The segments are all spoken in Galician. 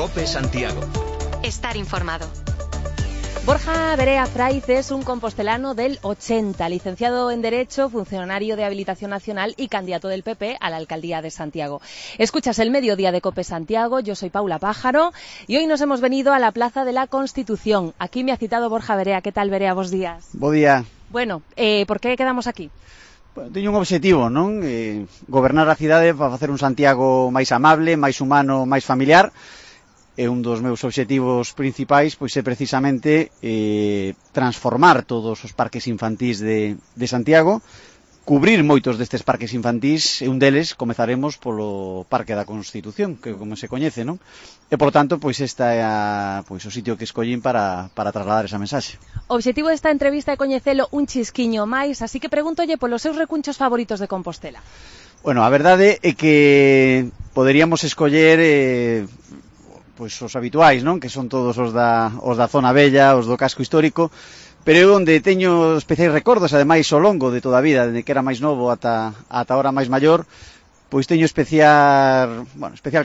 COPE Santiago. Estar informado. Borja Verea Fraiz es un compostelano del 80, licenciado en Derecho, funcionario de Habilitación Nacional y candidato del PP a la Alcaldía de Santiago. Escuchas el Mediodía de COPE Santiago, yo soy Paula Pájaro y hoy nos hemos venido a la Plaza de la Constitución. Aquí me ha citado Borja Verea. ¿Qué tal, Verea? Bos días. Bo día. Bueno, ¿por qué quedamos aquí? Bueno, teño un objetivo, non? Gobernar a cidade para facer un Santiago máis amable, máis humano, máis familiar. E un dos meus obxectivos principais pois é precisamente transformar todos os parques infantís de Santiago, cubrir moitos destes parques infantís, e un deles comezaremos polo Parque da Constitución, que como se coñece, non? E, por tanto, pois esta é o sitio que escollín para trasladar esa mensaxe. O obxectivo desta entrevista é coñecelo un chisquiño máis, así que pregúntolle polos seus recunchos favoritos de Compostela. Bueno, a verdade é que poderíamos escoller pois os habituais, non? Que son todos os da zona bella, os do casco histórico, pero eu onde teño especiais recordos, ademais ao longo de toda a vida, desde que era máis novo ata ahora máis maior, pois teño especial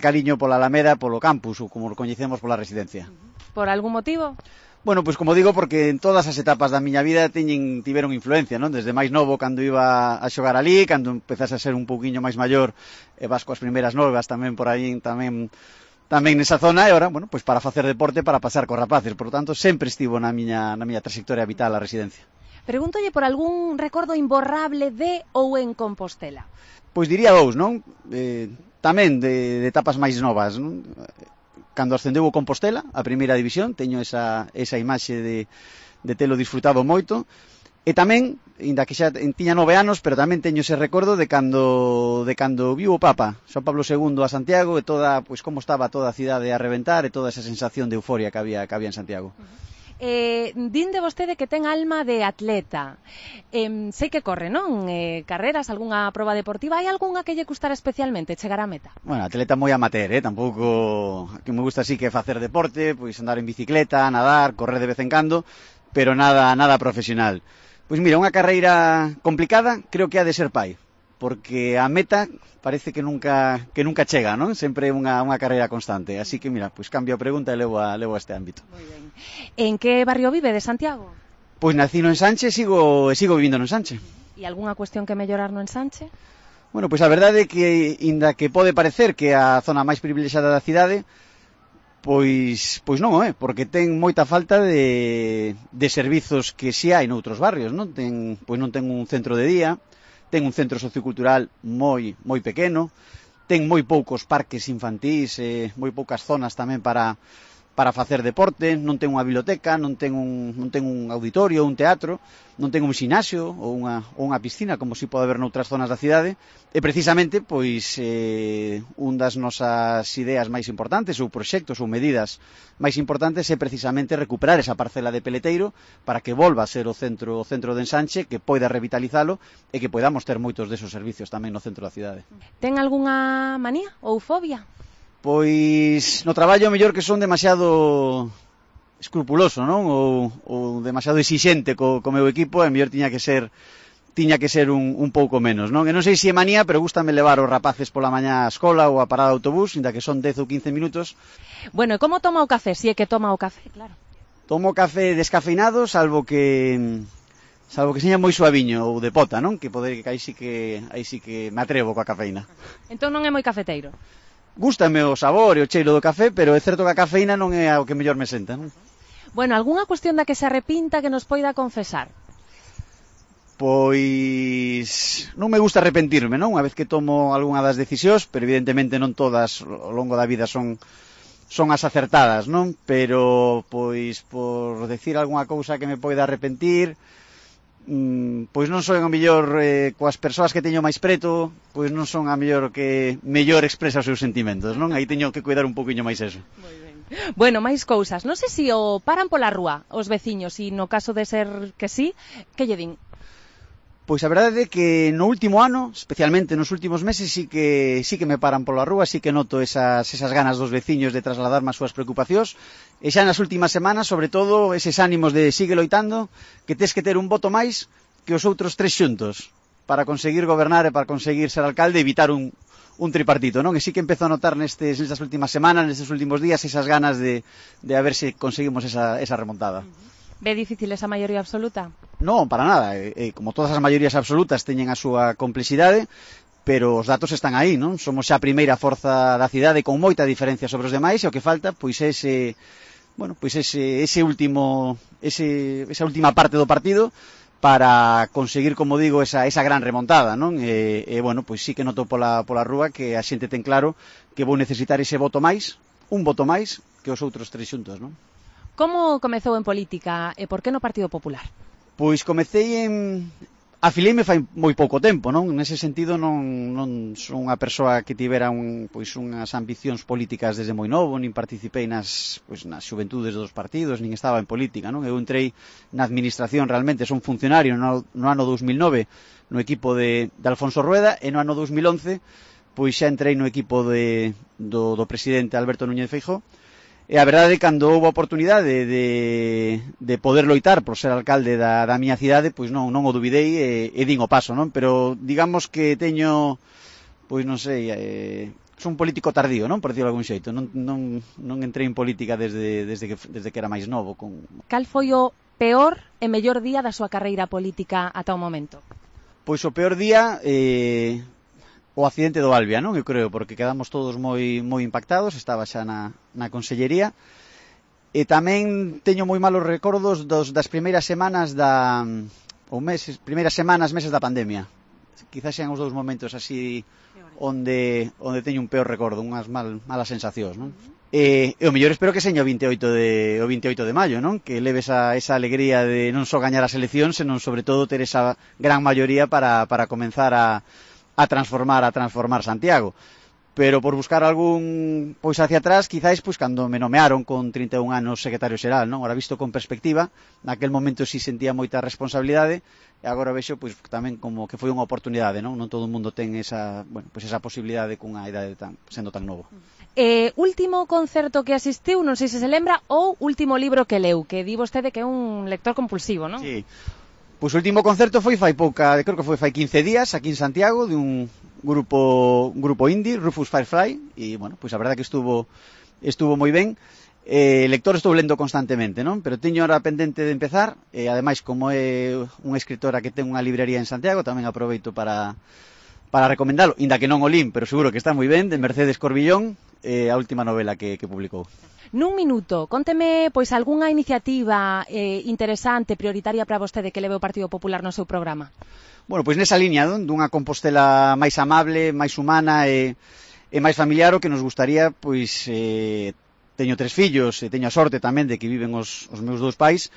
cariño pola Alameda, polo campus, ou como o coñecemos, pola residencia. Por algún motivo? Bueno, pois como digo, porque en todas as etapas da miña vida tiveron influencia, non? Desde máis novo, cando iba a xogar alí, cando empezase a ser un pouquiño máis maior, e vas coas primeiras novas tamén por aí, tamén nesa zona, e ora, bueno, pois para facer deporte, para pasar cos rapaces. Por tanto, sempre estivo na miña trayectoria vital a residencia. Pregúntolle por algún recordo imborrable de ou en Compostela. Pois diría dous, non? Tamén de etapas máis novas, non? Cando ascendeu o Compostela, a primeira división, teño esa imaxe de telo disfrutado moito. E tamén, inda que xa tiña 9 anos, pero tamén teño ese recordo de cando viu o Papa, Xoán Pablo II a Santiago, e toda, pois como estaba toda a cidade a reventar, e toda esa sensación de euforia que había en Santiago. Din de vostede que ten alma de atleta. Sei que corre, non? Carreras, algunha proba deportiva, hai algunha que lle gustara especialmente chegar á meta? Bueno, atleta moi amateur, tampouco que me gusta así que facer deporte, pois andar en bicicleta, nadar, correr de vez en cando, pero nada profesional. Pois mira, unha carreira complicada creo que ha de ser pai, porque a meta parece que nunca chega, non? Sempre é unha carreira constante, así que mira, pois cambio a pregunta e levo a este ámbito. Moi ben. En que barrio vive de Santiago? Pois nací no Ensanche e sigo vivindo no Ensanche. E algunha cuestión que mellorar no Ensanche? Bueno, pois a verdade é que, inda que pode parecer que é a zona máis privilexiada da cidade, pois non, porque ten moita falta de servizos que si hai noutros barrios, non? Non ten un centro de día, ten un centro sociocultural moi pequeno, ten moi poucos parques infantís, moi poucas zonas tamén para facer deporte, non ten unha biblioteca, non ten un auditorio, un teatro, non ten un xinasio ou unha piscina, como si pode haber noutras zonas da cidade, e precisamente, pois, un das nosas ideas máis importantes, ou proxectos, ou medidas máis importantes, é precisamente recuperar esa parcela de Peleteiro para que volva a ser o centro de Ensanche, que poida revitalizalo e que podamos ter moitos desos servicios tamén no centro da cidade. Ten algunha manía ou fobia? Pois no traballo mellor que son demasiado escrupuloso, non? Ou demasiado exixente co meu equipo, e mellor tiña que ser un pouco menos, non? E non sei se é manía, pero gústame levar os rapaces pola mañá á escola ou a parada de autobús, inda que son 10 ou 15 minutos. Bueno, e como toma o café? Si é que toma o café, claro. Tomo café descafeinado, salvo que seña moi suaviño ou de pota, non? Que aí sí que me atrevo coa cafeína. Entón non é moi cafeteiro? Gústame o sabor e o cheiro do café, pero é certo que a cafeína non é o que mellor me senta, non? Bueno, algunha cuestión da que se arrepinta que nos poida confesar? Pois non me gusta arrepentirme, non? Unha vez que tomo algunha das decisións, pero evidentemente non todas ao longo da vida son as acertadas, non? Pero, pois, por decir algunha cousa que me poida arrepentir, pois non son a mellor coas persoas que teño máis preto, pois non son a mellor que mellor expresa os seus sentimentos, non? Aí teño que cuidar un poquinho máis eso. Moi ben. Bueno, máis cousas. Non sei se o paran pola rúa os veciños e no caso de ser que sí, que lle din? Pois a verdade é que no último ano, especialmente nos últimos meses, sí que me paran pola rúa, sí que noto esas ganas dos veciños de trasladarme as súas preocupacións, e xa nas últimas semanas, sobre todo, eses ánimos de sigue loitando, que tes que ter un voto máis que os outros tres xuntos, para conseguir gobernar e para conseguir ser alcalde e evitar un un tripartito, non? E sí que empezo a notar nestas últimas semanas, nestes últimos días, esas ganas de a ver se conseguimos esa remontada. Ve difícil esa maioría absoluta? Non, para nada. Como todas as maiorías absolutas teñen a súa complexidade, pero os datos están aí, non? Somos xa a primeira forza da cidade con moita diferencia sobre os demais e o que falta pois é esa última parte do partido para conseguir, como digo, esa gran remontada, non? Bueno, pois sí que noto pola rúa que a xente ten claro que vou necesitar ese voto máis, un voto máis que os outros tres xuntos, non? Como comezou en política e por que no Partido Popular? Pois comecei afileime fai moi pouco tempo, non? Nese sentido non son unha persoa que tivera unhas ambicións políticas desde moi novo, nin participei nas xuventudes dos partidos, nin estaba en política, non? Eu entrei na administración realmente, son funcionario no ano 2009 no equipo de Alfonso Rueda e no ano 2011 pois xa entrei no equipo do presidente Alberto Núñez Feijóo. E a verdade, cando houve a oportunidade de poder loitar por ser alcalde da miña cidade, pois non o dubidei e din o paso, non? Pero digamos que teño, pois non sei, son un político tardío, non? Por dicirlo de algún xeito. Non entrei en política desde que era máis novo. Cal foi o peor e mellor día da súa carreira política ata o momento? Pois o peor día... o accidente do Albia, non? Eu creo, porque quedamos todos moi impactados, estaba xa na consellería, e tamén teño moi malos recordos das primeiras semanas meses da pandemia. Quizás sean os dous momentos así onde teño un peor recordo, unhas malas sensacións, non? E o mellor espero que seña o 28 de maio, non? Que leve esa alegría de non só gañar as eleccións, senón sobre todo ter esa gran maioría para comenzar a transformar Santiago. Pero por buscar algún pois hacia atrás, quizáis pois cando me nomearon con 31 anos secretario xeral, non? Ahora visto con perspectiva, naquel momento si sentía moita responsabilidade e agora vexo pois tamén como que foi unha oportunidade, non? Non todo o mundo ten esa posibilidade cunha idade sendo tan novo. Último concerto que asistiu, non sei se lembra, ou último libro que leu, que di vostede que é un lector compulsivo, non? Sí. Pois o último concerto foi creo que foi fai 15 días aquí en Santiago, de un grupo indie, Rufus Firefly, e, bueno, pois a verdade que estuvo moi ben. Lector estou lendo constantemente, non? Pero teño ahora pendente de empezar, e ademais, como é unha escritora que ten unha librería en Santiago, tamén aproveito para recomendalo, inda que non o lin, pero seguro que está moi ben, de Mercedes Corbillón, a última novela que publicou. Nun minuto, conteme pois algunha iniciativa interesante, prioritaria para vostede que leve o Partido Popular no seu programa. Bueno, pois nesa liña dunha Compostela máis amable, máis humana e máis familiar, o que nos gustaría, pois teño 3 fillos e teño a sorte tamén de que viven os meus 2 pais,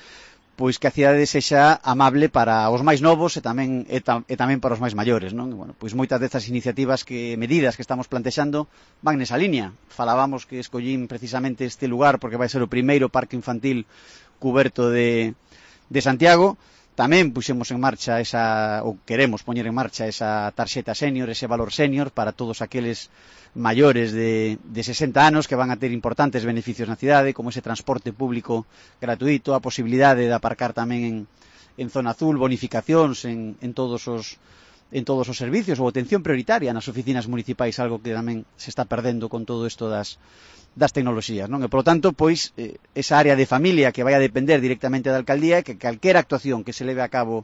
pois que a cidade sexa amable para os máis novos e tamén para os máis maiores, non? Bueno, pois moitas destas medidas que estamos plantexando van nesa liña. Falábamos que escollín precisamente este lugar porque vai ser o primeiro parque infantil cuberto de Santiago. Tamén puxemos en marcha queremos poñer en marcha esa tarxeta senior, ese valor senior para todos aqueles maiores de 60 anos que van a ter importantes beneficios na cidade, como ese transporte público gratuito, a posibilidade de aparcar tamén en zona azul, bonificacións en todos os servicios ou atención prioritaria nas oficinas municipais, algo que tamén se está perdendo con todo isto das tecnoloxías, non? E, polo tanto, pois, esa área de familia que vai a depender directamente da alcaldía, que calquera actuación que se leve a cabo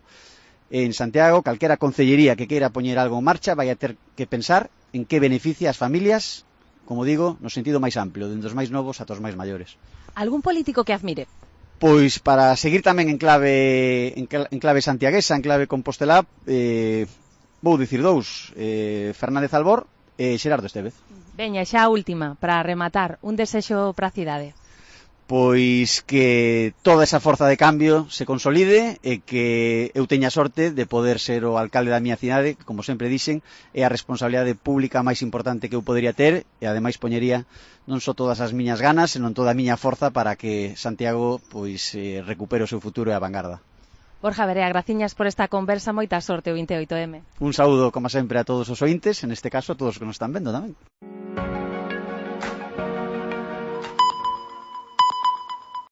en Santiago, calquera concellería que queira poñer algo en marcha, vai a ter que pensar en que beneficia as familias, como digo, no sentido máis amplio, dende os máis novos ata os máis maiores. Algún político que admire? Pois, para seguir tamén en clave santiaguesa, en clave compostelá, vou dicir 2, Fernández Albor e Xerardo Estévez. Veña, xa a última, para rematar, un desexo para a cidade. Pois que toda esa forza de cambio se consolide e que eu teña sorte de poder ser o alcalde da miña cidade, que, como sempre dixen, é a responsabilidade pública máis importante que eu podería ter e ademais poñería non só todas as miñas ganas, senón toda a miña forza para que Santiago pois recupere o seu futuro e a vanguarda. Borja Verea, graciñas por esta conversa, moita sorte o 28M. Un saúdo, como sempre, a todos os ointes, en este caso a todos os que nos están vendo tamén.